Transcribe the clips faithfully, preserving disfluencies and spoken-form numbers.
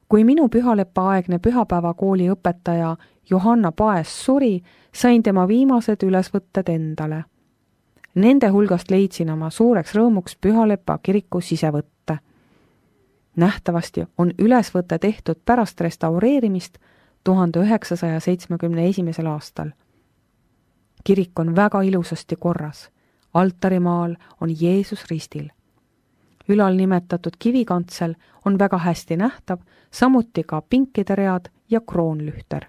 Kui minu pühalepa-aegne pühapäevakooli õpetaja Johanna Paes suri, sain tema viimased ülesvõtted endale. Nende hulgast leidsin oma suureks rõõmuks Pühalepa kiriku sisevõtte. Nähtavasti on ülesvõte tehtud pärast restaureerimist tuhande üheksasaja seitsmekümne esimesel aastal. Kirik on väga ilusasti korras. Altarimaal on Jeesus ristil. Ülal nimetatud kivikantsel on väga hästi nähtav, samuti ka pinkide read ja kroonlühter.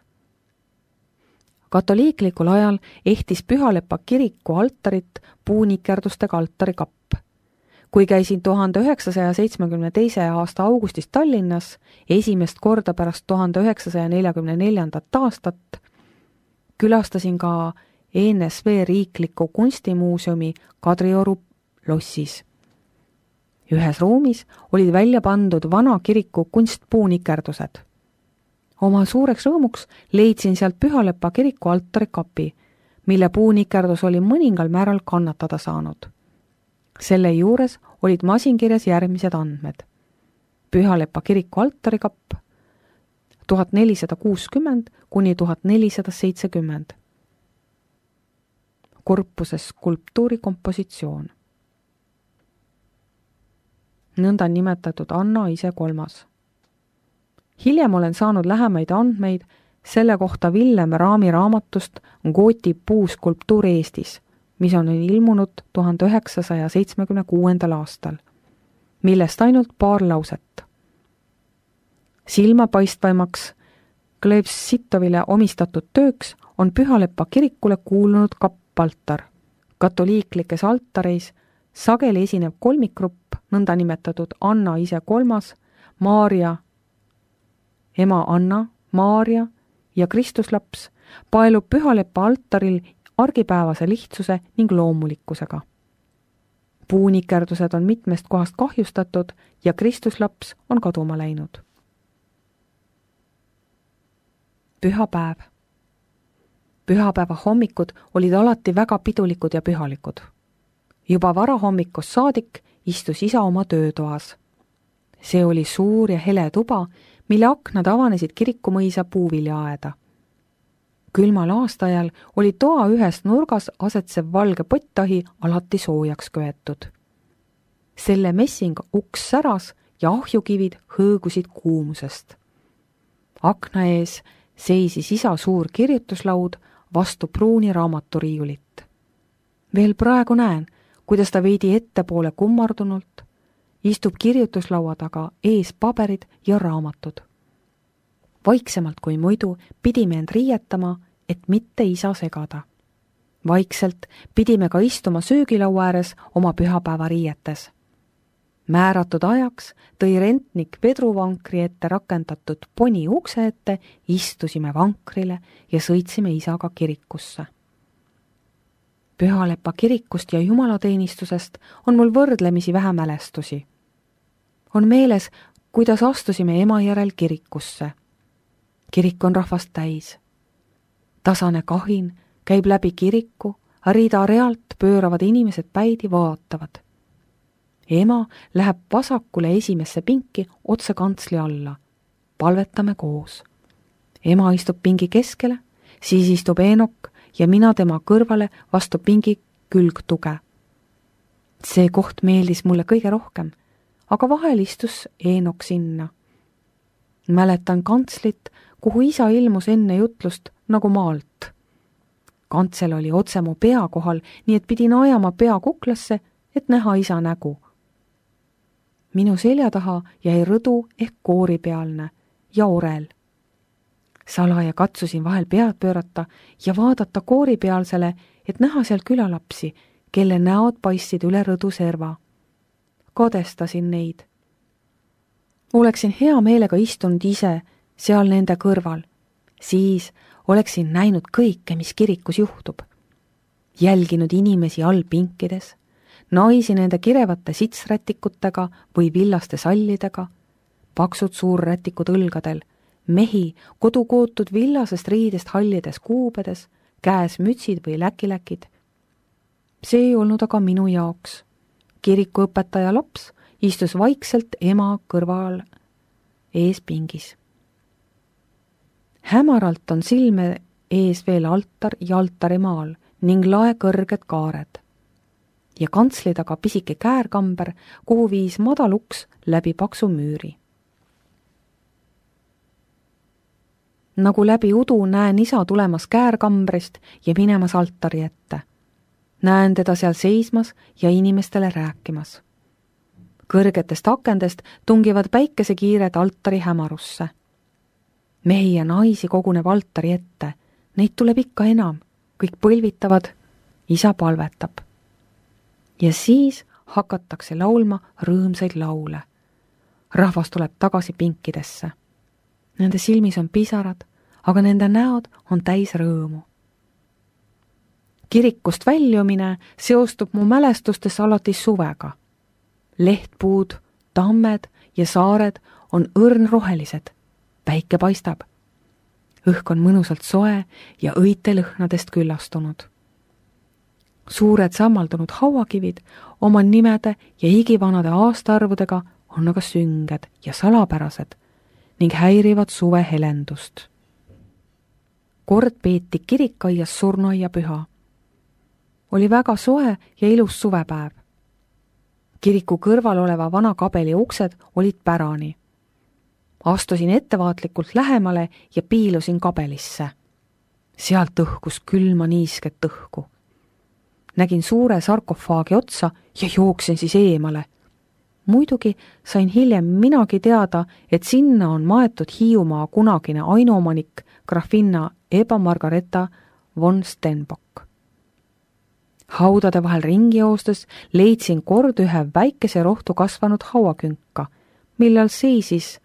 Katoliiklikul ajal ehtis Pühalepa kiriku altarit puunikerdustega altarikapp. Kui käisin tuhande üheksasaja seitsmekümne teise aasta augustis Tallinnas, esimest korda pärast tuhande üheksasaja neljakümne neljandat aastat, külastasin ka E N S V riikliku kunstimuuseumi Kadrioru lossis. Ühes ruumis olid välja pandud vana kiriku kunstpuunikerdused. Oma suureks rõõmuks leidsin sealt Pühalepa kiriku altarikapi, mille puunikerdus oli mõningal määral kannatada saanud. Selle juures olid masinkirjas järgmised andmed. Pühalepa kiriku altarikapp tuhat nelisada kuuskümmend kuni tuhat nelisada seitsekümmend. Korpuses skulptuurikompositsioon. Nõnda nimetatud Anna ise kolmas. Hiljem olen saanud lähemaid andmeid selle kohta Villem Raami raamatust Gooti puuskulptuur Eestis, mis on ilmunud tuhande üheksasaja seitsmekümne kuuendal aastal, millest ainult paar lauset. Silmapaistvaimaks Glebsitovile omistatud tööks on Pühalepa kirikule kuulunud kappaltar. Katoliiklikes altareis sageli esineb kolmikgrupp, nõnda nimetatud Anna ise kolmas, Maarja, ema Anna, Maarja ja Kristuslaps paelub Pühalepa altaril argipäevase lihtsuse ning loomulikkusega. Puunikerdused on mitmest kohast kahjustatud ja Kristuslaps on kaduma läinud. Pühapäev. Pühapäeva hommikud olid alati väga pidulikud ja pühalikud. Juba varahommikust saadik istus isa oma töötoas. See oli suur ja hele tuba, mille aknad avanesid kirikumõisa puuviljaaeda. Külmal aastaajal oli toa ühes nurgas asetsev valge pottahi alati soojaks köetud. Selle messing uks säras ja ahjukivid hõõgusid kuumusest. Akna ees seisis isa suur kirjutuslaud vastu pruuni raamaturiiulit. Veel praegu näen, kuidas ta veidi ettepoole kummardunult istub kirjutuslaua taga ees paberid ja raamatud. Vaiksemalt kui muidu pidime end riietama, et mitte isa segada. Vaikselt pidime ka istuma söögilaua ääres oma pühapäeva riietes. Määratud ajaks tõi rentnik vedruvankri ette rakendatud poni ukse ette, istusime vankrile ja sõitsime isaga kirikusse. Pühalepa kirikust ja jumalateenistusest on mul võrdlemisi vähe mälestusi. On meeles, kuidas astusime ema järel kirikusse. Kirik on rahvast täis. Tasane kahin käib läbi kiriku, rida realt pööravad inimesed päidi vaatavad. Ema läheb vasakule esimesse pinki otse kantsli alla. Palvetame koos. Ema istub pingi keskele, siis istub Eenok ja mina tema kõrvale vastu pingi külgtuge. See koht meeldis mulle kõige rohkem, aga vahel istus Eenok sinna. Mäletan kantslit, kuhu isa ilmus enne jutlust nagu maalt. Kantsel oli otse mu pea kohal, nii et pidin ajama pea kuklasse, et näha isa nägu. Minu selja taha jäi rõdu ehk kooripealne ja orel. Salaja katsusin vahel pead pöörata ja vaadata kooripealsele, et näha seal külalapsi, kelle näod paistsid üle rõdu serva. Kadestasin neid. Oleksin hea meelega istunud ise seal nende kõrval. Siis oleksin näinud kõike, mis kirikus juhtub. Jälginud inimesi all pinkides, naisi nende kirevate sitsrätikutega või villaste sallidega, paksud suurrätikud õlgadel, mehi kodukootud villasest riidest hallides kuubedes, käes mütsid või läkiläkid. See ei olnud aga minu jaoks. Kirikuõpetaja laps istus vaikselt ema kõrval ees pingis. Hämaralt on silme ees veel altar ja altarimaal ning lae kõrged kaared ja kantsli taga pisike käärkamber, kuhu viis madal uks läbi paksu müüri. Nagu läbi udu näen isa tulemas käärkambrist ja minemas altari ette. Näen teda seal seismas ja inimestele rääkimas. Kõrgetest akendest tungivad päikesekiired altari hämarusse. Mehi ja naisi koguneb altari ette. Neid tuleb ikka enam. Kõik põlvitavad, isa palvetab. Ja siis hakatakse laulma rõõmsaid laule. Rahvas tuleb tagasi pinkidesse. Nende silmis on pisarad, aga nende näod on täis rõõmu. Kirikust väljumine seostub mu mälestustes alati suvega. Lehtpuud, tammed ja saared on õrnrohelised. Päike paistab. Õhk on mõnusalt soe ja õitelõhnadest küllastunud. Suured sammaldunud hauakivid oma nimede ja igivanade aastaarvudega on aga sünged ja salapärased ning häirivad suve helendust. Kord peeti kirikaias surnuaia püha. Oli väga soe ja ilus suvepäev. Kiriku kõrval oleva vana kabeli uksed olid pärani. Astusin ettevaatlikult lähemale ja piilusin kabelisse. Sealt õhkus külma niisket õhku. Nägin suure sarkofaagi otsa ja jooksin siis eemale. Muidugi sain hiljem minagi teada, et sinna on maetud Hiiumaa kunagine ainuomanik grafinna Eba Margareta von Stenbock. Haudade vahel ringi joostes leidsin kord ühe väikese rohtu kasvanud hauakünka, millal seisis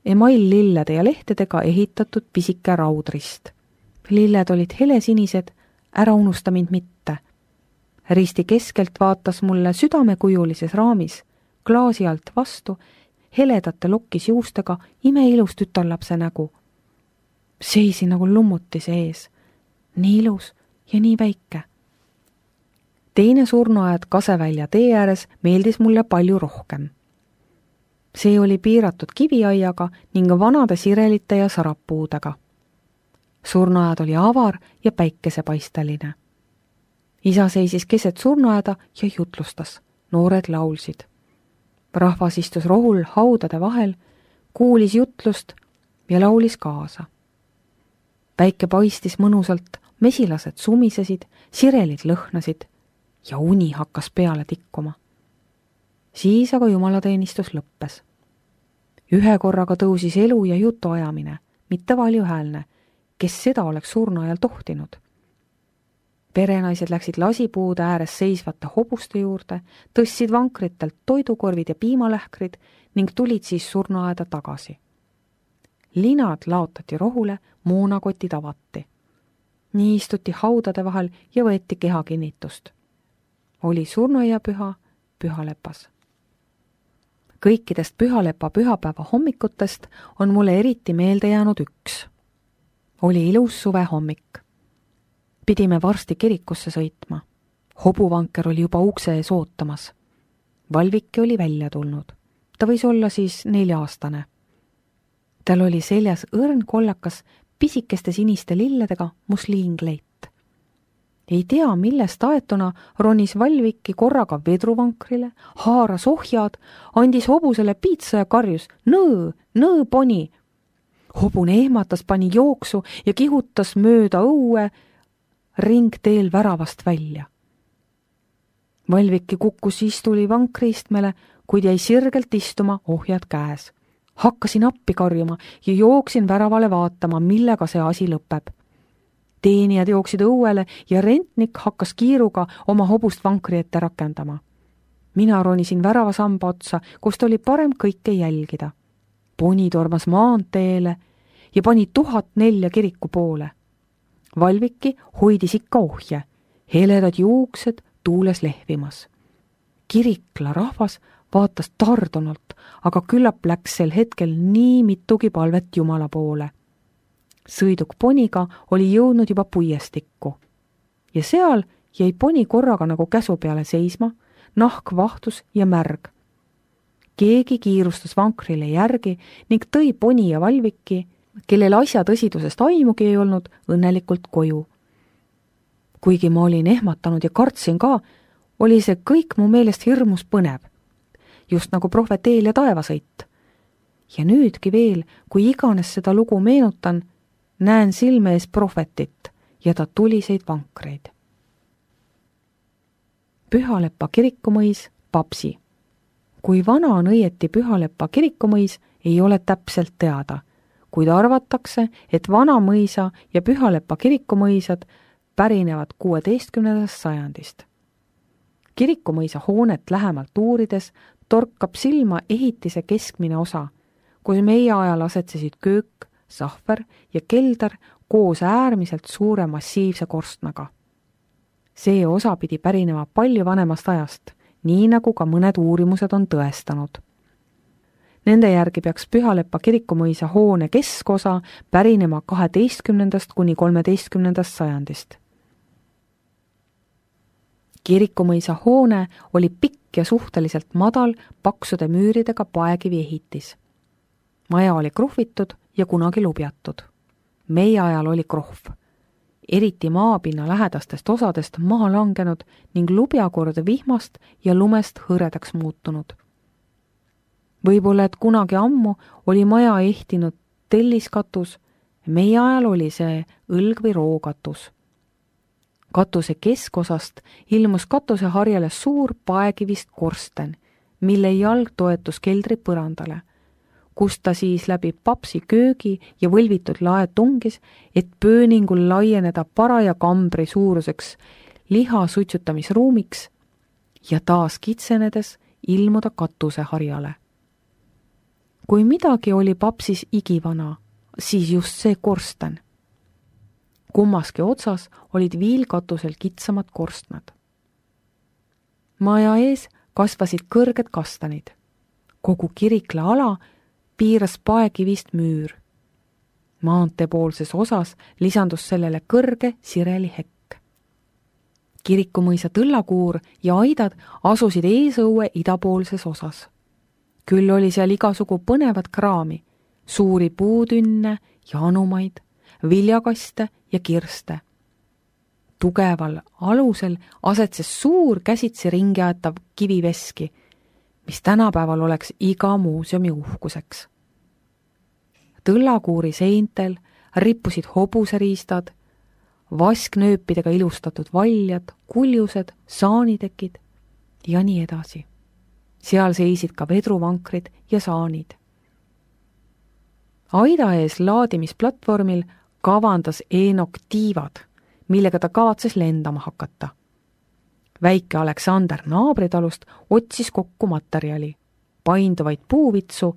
email-lillede ja lehtedega ehitatud pisike raudrist. Lilled olid helesinised, ära unusta mind mitte. Risti keskelt vaatas mulle südamekujulises raamis, klaasi alt vastu, heledate lokkis juustega imeilus tütarlapse nägu. Seisi nagu lummuti sees, nii ilus ja nii väike. Teine surnuaed Kasevälja tee ääres meeldis mulle palju rohkem. See oli piiratud kiviaiaga ning vanade sirelite ja sarappuudega. Surnuaed oli avar ja päikesepaisteline. Isa seisis keset surnuaeda ja jutlustas. Noored laulsid. Rahvas istus rohul haudade vahel, kuulis jutlust ja laulis kaasa. Päike paistis mõnusalt, mesilased sumisesid, sirelid lõhnasid ja uni hakkas peale tikkuma. Siis aga jumalateenistus lõppes. Ühe korraga tõusis elu ja jutu ajamine, mitte valjuhäälne, kes seda oleks surnuajal tohtinud. Perenaised läksid lasipuude ääres seisvate hobuste juurde, tõstsid vankritelt toidukorvid ja piimalähkrid ning tulid siis surnuaeda tagasi. Linad laotati rohule, moonakotid avati. Nii istuti haudade vahel ja võeti kehakinnitust. Oli surnuaiapüha, pühalepas. Kõikidest pühalepa pühapäeva hommikutest on mulle eriti meelde jäänud üks. Oli ilus suve hommik. Pidime varsti kirikusse sõitma. Hobuvanker oli juba ukse ees ootamas. Valviki oli välja tulnud. Ta võis olla siis nelja-aastane. Tal oli seljas õrn kollakas pisikeste siniste lilledega musliingleit. Ei tea, millest aetuna ronis Valviki korraga vedruvankrile, haaras ohjad, andis hobusele piitsa ja karjus nõõ, nõõ poni. Hobune ehmatas, pani jooksu ja kihutas mööda õue ringteel väravast välja. Valviki kukkus istuli vankriistmele, kuid jäi sirgelt istuma ohjad käes. Hakkasin appi karjuma ja jooksin väravale vaatama, millega see asi lõpeb. Teenijad jooksid õuele ja rentnik hakkas kiiruga oma hobust vankri ette rakendama. Mina ronisin väravasamba otsa, kust oli parem kõike jälgida. Poni tormas maanteele ja pani tuhat nelja kiriku poole. Valviki hoidis ikka ohje, heledad juuksed tuules lehvimas. Kirikla rahvas vaatas tardunult, aga küllap läks sel hetkel nii mitugi palvet Jumala poole. Sõiduk poniga oli jõudnud juba puiestikku ja seal jäi poni korraga nagu käsu peale seisma, nahk vahtus ja märg. keegi kiirustas vankrile järgi ning tõi Poni ja Valviki, kellel asja tõsidusest aimugi ei olnud, õnnelikult koju. Kuigi ma olin ehmatanud ja kartsin ka, oli see kõik mu meelest hirmus põnev, just nagu prohveteel ja taevasõit. Ja nüüdki veel, kui iganes seda lugu meenutan, näen silme ees prohvetit ja ta tuliseid vankreid. Pühaleppa kirikumõis, Papsi. Kui vana on õieti Pühaleppa kirikumõis, ei ole täpselt teada, kuid arvatakse, et Vanamõisa ja Pühaleppa kirikumõisad pärinevad kuueteistkümnendast sajandist. Kirikumõisa hoonet lähemalt uurides torkab silma ehitise keskmine osa, kus meie ajal asetsesid köök, sahver ja kelder koos äärmiselt suure massiivse korstnaga. See osa pidi pärinema palju vanemast ajast, nii nagu ka mõned uurimused on tõestanud. Nende järgi peaks Pühaleppa kirikumõisa hoone keskosa pärinema kaheteistkümnendast kuni kolmeteistkümnendast sajandist. Kirikumõisa hoone oli pikk ja suhteliselt madal paksude müüridega paekivi ehitis. Maja oli kruhvitud ja kunagi lubjatud. Meie ajal oli krohv, eriti maapinna lähedastest osadest maha langenud ning lubjakord vihmast ja lumest hõredaks muutunud. Võib-olla, et kunagi ammu oli maja ehtinud telliskatus, meie ajal oli see õlg- või rookatus. Katuse keskosast ilmus katuseharjale suur paekivist korsten, mille jalg toetus keldri põrandale, kus ta siis läbi Papsi köögi ja võlvitud lae tungis, et pööningul laieneda paraja kambri suuruseks liha suitsutamisruumiks ja taas kitsenedes ilmuda katuseharjale. Kui midagi oli Papsis igivana, siis just see korsten. Kummaski otsas olid viilkatusel kitsamad korstnad. Maja ees kasvasid kõrged kastanid. Kogu kirikla ala piiras paekivist müür. Maanteepoolses osas lisandus sellele kõrge sireli hekk. Kirikumõisa tõllakuur ja aidad asusid eesõue idapoolses osas. Küll oli seal igasugu põnevat kraami, suuri puutünne ja anumaid, viljakaste ja kirste. Tugeval alusel asetses suur käsitsi ringi aetav kiviveski, mis tänapäeval oleks iga muuseumi uhkuseks. Tõllakuuri seintel rippusid hobuseriistad, vasknööpidega ilustatud valjad, kuljused, saanitekid ja nii edasi. Seal seisid ka vedruvankrid ja saanid. Aida ees laadimisplatvormil kavandas Eenok tiivad, millega ta kavatses lendama hakata. Väike Aleksander naabritalust otsis kokku materjali, painduvaid puuvitsu,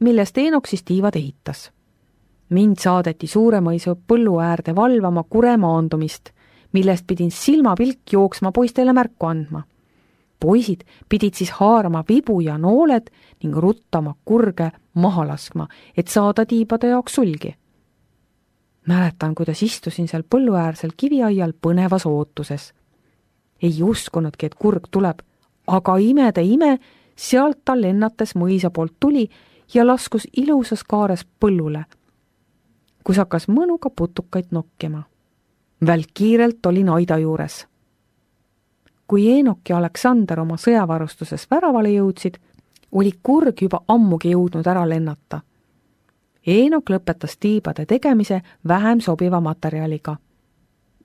millest Eenok siis tiivad ehitas. Mind saadeti Suuremõisu põllu äärde valvama kure maandumist, millest pidin silmapilk jooksma poistele märku andma. Poisid pidid siis haarama vibu ja nooled ning ruttama kurge maha laskma, et saada tiibade jaoks sulgi. Mäletan, kuidas istusin seal põlluäärsel kiviaial põnevas ootuses. Ei uskunudki, et kurg tuleb, aga imede ime, sealt ta lennates mõisa poolt tuli ja laskus ilusas kaares põllule, kus hakkas mõnuga putukaid nokkima. Välk kiirelt olin aida juures. Kui Eenok ja Aleksander oma sõjavarustuses väravale jõudsid, oli kurg juba ammugi jõudnud ära lennata. Eenok lõpetas tiibade tegemise vähem sobiva materjaliga.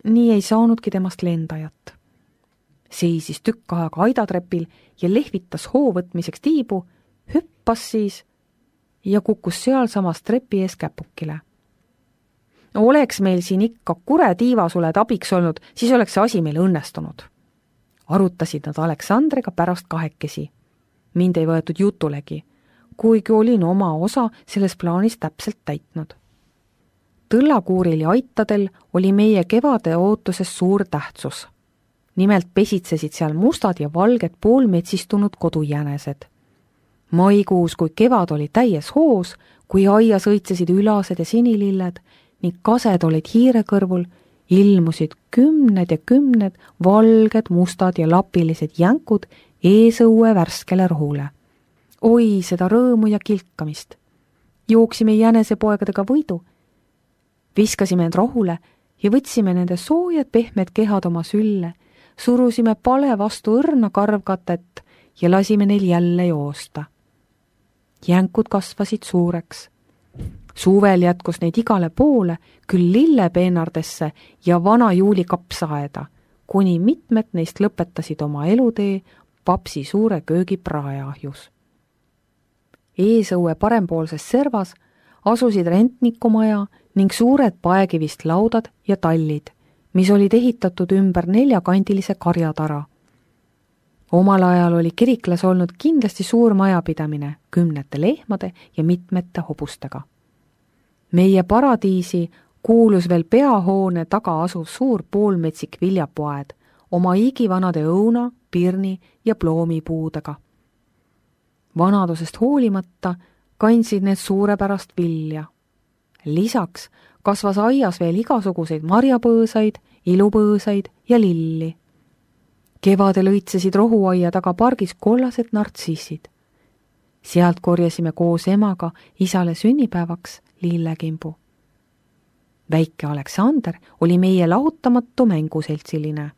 Nii ei saanudki temast lendajat. Seisis tükk aega aidatrepil ja lehvitas hoo võtmiseks tiibu, hüppas siis ja kukkus sealsamas trepi ees käpukile. Oleks meil siin ikka kure tiivasuled abiks olnud, siis oleks see asi meil õnnestunud. Arutasid nad Aleksandriga pärast kahekesi. Mind ei võetud jutulegi, kuigi olin oma osa selles plaanis täpselt täitnud. Tõllakuuril ja aitadel oli meie kevade ootuses suur tähtsus. Nimelt pesitsesid seal mustad ja valged poolmetsistunud kodujänesed. Maikuus, kui kevad oli täies hoos, kui aia sõitsesid ülased ja sinililled ning kased olid hiire kõrvul, ilmusid kümned ja kümned valged, mustad ja lapilised jänkud eesõue värskele rohule. Oi, seda rõõmu ja kilkamist. Jooksime jänesepoegadega võidu, viskasime end rohule ja võtsime nende soojad pehmed kehad oma sülle, surusime pale vastu õrna karvkatet ja lasime neil jälle joosta. Jänkud kasvasid suureks. Suvel jätkus neid igale poole, küll lillepeenardesse ja vana juuli kapsaaeda, kuni mitmed neist lõpetasid oma elutee papsi suure köögi praeahjus. Eesõue parempoolses servas asusid rentnikumaja ning suured paekivist laudad ja tallid, mis olid ehitatud ümber neljakandilise karjatara. Omal ajal oli kiriklas olnud kindlasti suur majapidamine kümnete lehmade ja mitmete hobustega. Meie paradiisi kuulus veel peahoone taga asuv suur poolmetsik viljapoed oma igivanade õuna, pirni ja ploomipuudega. Vanadusest hoolimata kandsid need suurepärast vilja. Lisaks kasvas aias veel igasuguseid marjapõõsaid, ilupõõsaid ja lilli. Kevadel õitsesid rohuaia taga pargis kollased nartsissid. Sealt korjasime koos emaga isale sünnipäevaks lillekimbu. Väike Aleksander oli meie lahutamatu mänguseltsiline.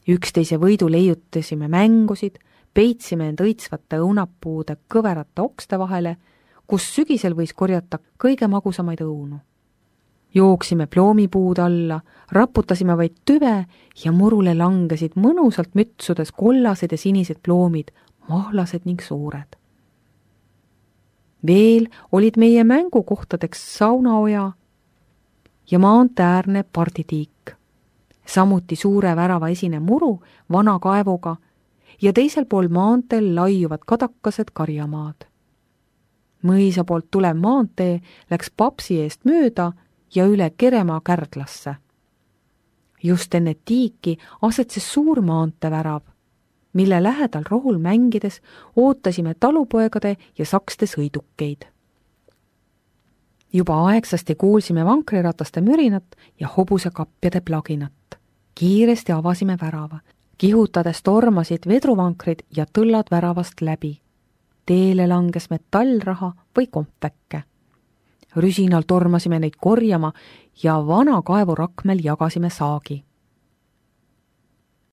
Üksteise võidu leiutasime mängusid, peitsime end õitsvate õunapuude kõverate okste vahele, kus sügisel võis korjata kõige magusamaid õunu. Jooksime ploomipuud alla, raputasime vaid tüve ja murule langesid mõnusalt mütsudes kollased ja sinised ploomid, mahlased ning suured. Veel olid meie mängukohtadeks saunaoja ja maanteäärne parditiik, samuti suure värava esine muru vana kaevuga ja teisel pool maanteel laiuvad kadakased karjamaad. Mõisa poolt tulev maantee läks papsi eest mööda ja üle Keremaa Kärdlasse. Just enne tiiki asetses suur maantevärav, mille lähedal rohul mängides ootasime talupoegade ja sakste sõidukeid. Juba aegsasti kuulsime vankrirataste mürinat ja hobusekapjade plaginat. Kiiresti avasime värava. Kihutades tormasid vedruvankrid ja tõllad väravast läbi. Teele langes metallraha või kompväkke. Rüsinal tormasime neid korjama ja vana kaevurakmel jagasime saagi.